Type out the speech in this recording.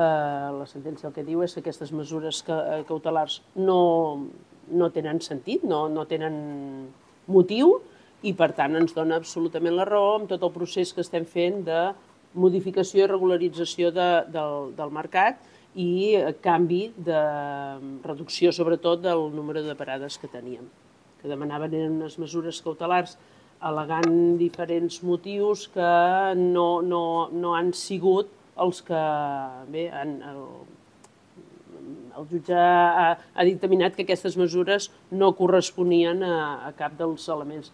La sentència el que diu és que aquestes mesures cautelars no tenen sentit, no tenen motiu, i per tant ens dona absolutament la raó amb tot el procés que estem fent de modificació i regularització del mercat i canvi de reducció, sobretot, del número de parades que teníem. Que demanaven eren unes mesures cautelars al·legant diferents motius que no han sigut els que... Bé, el jutge ha dictaminat que aquestes mesures no corresponien a cap dels elements.